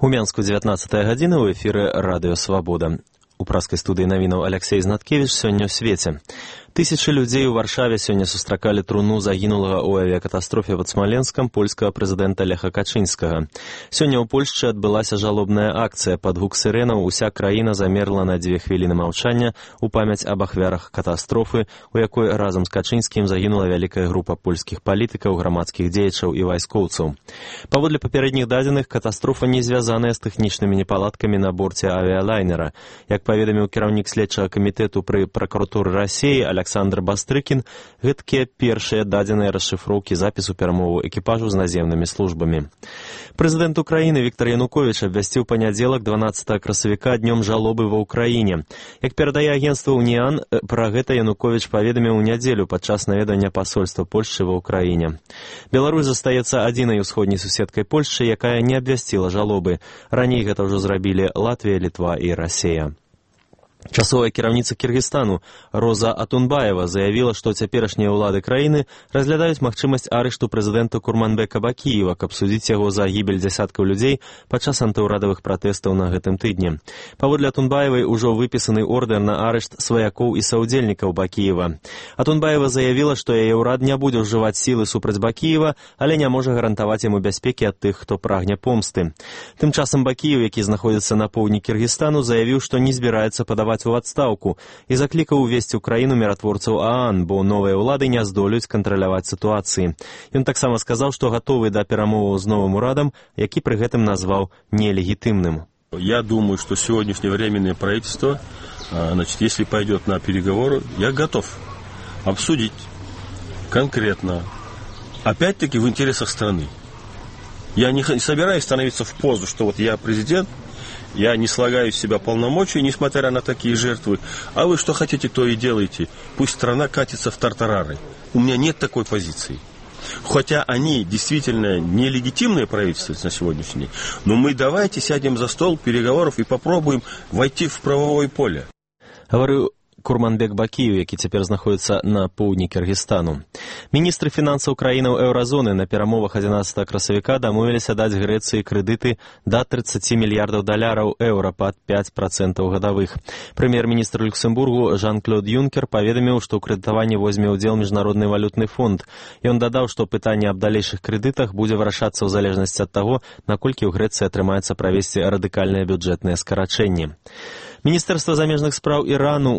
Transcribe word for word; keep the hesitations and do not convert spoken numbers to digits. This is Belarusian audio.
У Мянску дзевятнаццатая гадзіна, у эфіры радыё «Свабода». У праскай студыі навінаў Аляксей Знаткевіч сёння ў свеце. Тысячы людзей у Варшаве сёння сустракалі труну загінулага ў авіякатастрофе пад Смаленскам польскага прэзідэнта Леха Качынскага. Сёння ў Польшчы адбылася жалобная акцыя. Пад гук сірэнаў уся краіна замерла на дзве хвіліны маўчання у памяць аб ахвярах катастрофы, у якой разам з Качынскім загінула вялікая група польскіх палітыкаў, грамадскіх дзеячаў і вайскоўцаў. Паводле папярэдніх дадзеных, катастрофа не звязаная з тэхнічнымі непаладкамі на борце авіялайнера. Як паведаміў кіраўнік следчага камітэту пры пракуратуры Расіі Александр Бастрыкін, гэткія першыя дадзеныя расшыфроўкі запісу перамоваў экіпажу з наземнымі службамі. Прэзідэнт Украіны Віктор Януковіч абвясціў панядзелак дванаццатага красавіка днём жалобы ва ўкраіне. Як перадае агенцтва «Уніан», пра гэта Януковіч паведаміў у нядзелю падчас наведання пасольства Польшчы ва ўкраіне. Беларусь застаецца адзінай усходняй суседкай Польшчы, якая не абвясціла жалобы. Раней гэта ўжо зрабілі Латвія, Літва і Расія. Часовая кіраўніца Кіргізстану Роза Атунбаева заявіла, што цяперашнія ўлады краіны разглядаюць магчымасць арышту прэзідэнта Курманбека Бакіева, каб судзіць яго за гібель дзясяткаў людзей падчас антыўрадавых пратэстаў на гэтым тыдні. Паводле Атунбаевай ужо выпісаны ордэр на арышт сваякоў і саўдзельнікаў Бакіева. Атунбаева заявіла, што яе ўрад не будзе ўжываць сілы супраць Бакіева, але не можа гарантаваць яму бяспекі ад тых, хто прагне помсты. Тым часам Бакіев, які знаходзіцца на поўдні Кіргізстану, заявіў, што не збіраецца падаваць у адстаўку і заклікаў увесці ў краіну міратворцаў ААН, бо новыя ўлады не здолеюць кантраляваць сітуацыі. Ён таксама сказаў, што гатовы да перамоваў з новым урадам, які пры гэтым назваў нелегітымным. Я думаю, что сегодняшнее временное правительство, значит, если пойдет на переговоры, я готов обсудить конкретно, опять-таки в интересах страны. Я не собираюсь становиться в позу, что вот я президент, я не слагаю из себя полномочий, несмотря на такие жертвы. А вы что хотите, то и делайте. Пусть страна катится в тартарары. У меня нет такой позиции. Хотя они действительно нелегитимные правительства на сегодняшний день, но мы давайте сядем за стол переговоров и попробуем войти в правовое поле. Говорю, Курманбек Бакіев, які цяпер знаходзіцца на поўдні Кіргізстану. Міністры фінансаў краінаў еўразоны на перамовах адзінаццатага красавіка дамовіліся даць Грэцыі крэдыты да трыццаці мільярдаў даляраў еўра пад пяць працэнтаў гадавых. Прэм'ер-міністр Люксембургу Жан-Клод Юнкер паведаміў, што ў крэдытаванні возьме ўдзел Міжнародны валютны фонд. Ён дадаў, што пытанне аб далейшых крэдытах будзе вырашацца ў залежнасці ад таго, наколькі ў Грэцыі атрымаецца правесці радыкальныя бюджэтныя скарачэнні. Міністэрства замежных спраў Ірану